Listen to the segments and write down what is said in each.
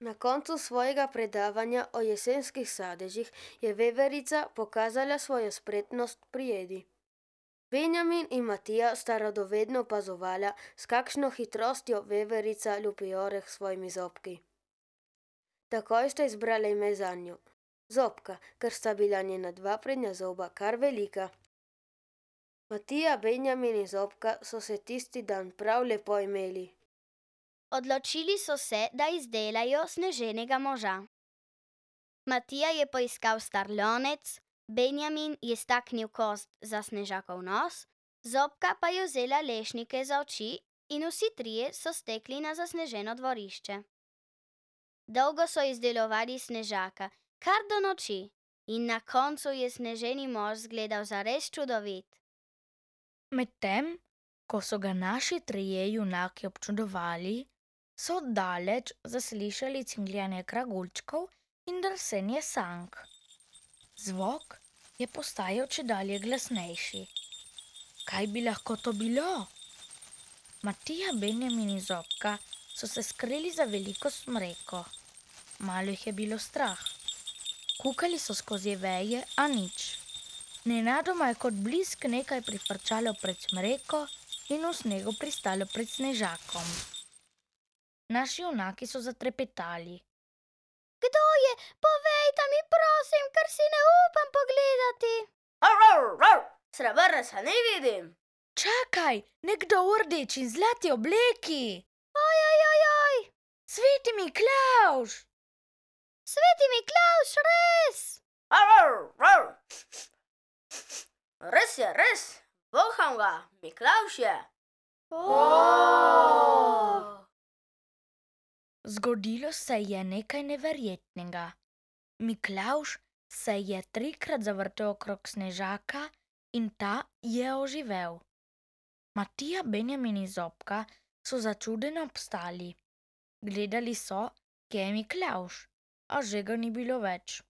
Na koncu svojega predavanja o jesenskih sadežih je veverica pokazala svojo spretnost pri jedi. Benjamin in Matija sta radovedno opazovala, s kakšno hitrostjo veverica lupi oreh s svojimi zobki. Takoj sta izbrala ime zanjo, Zobka, ker sta bila njena dva prednja zoba kar velika. Matija, Benjamin in Zobka so se tisti dan prav lepo imeli. Odločili so se, da izdelajo sneženega moža. Matija je poiskal star lonec, Benjamin je staknil kost za Snežakov nos, Zobka pa je vzela lešnike za oči in vsi trije so stekli na zasneženo dvorišče. Dolgo so izdelovali Snežaka, kar do noči, in na koncu je sneženi mož zgledal zares čudovit. Medtem, ko so ga naši trije junaki občudovali, so oddaleč zaslišali cingljanje kragulčkov in drsenje sank. Zvok je postajal čedalje glasnejši. Kaj bi lahko to bilo? Matija, Benjamin in Zobka so se skrili za veliko smreko. Malo jih je bilo strah. Kukali so skozi veje, a nič. Nenadoma je kot blisk nekaj prifrčalo pred smreko in v snegu pristalo pred Snežakom. Naši junaki so zatrepetali. Kdo je? Povejta mi, prosim, ker si ne upam pogledati. Srebrnca ne vidim. Čakaj, nekdo v rdeči in zlati obleki! Ojojojoj! Sveti Miklavž! Sveti Miklavž, res! Res, voham ga, Miklavž je. Zgodilo se je nekaj neverjetnega. Miklavž se je 3-krat zavrtel okrog Snežaka in ta je oživel. Matija, Benjamin in Zobka so začudeno obstali. Gledali so, kje je Miklavž, a že ga ni bilo več.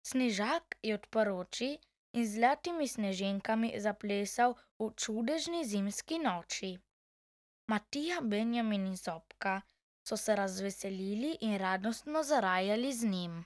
Snežak je odprl oči in z zlatimi sneženkami zaplesal v čudežni zimski noči. Matija, Benjamin in Zobka so se razveselili in radostno zarajali z njim.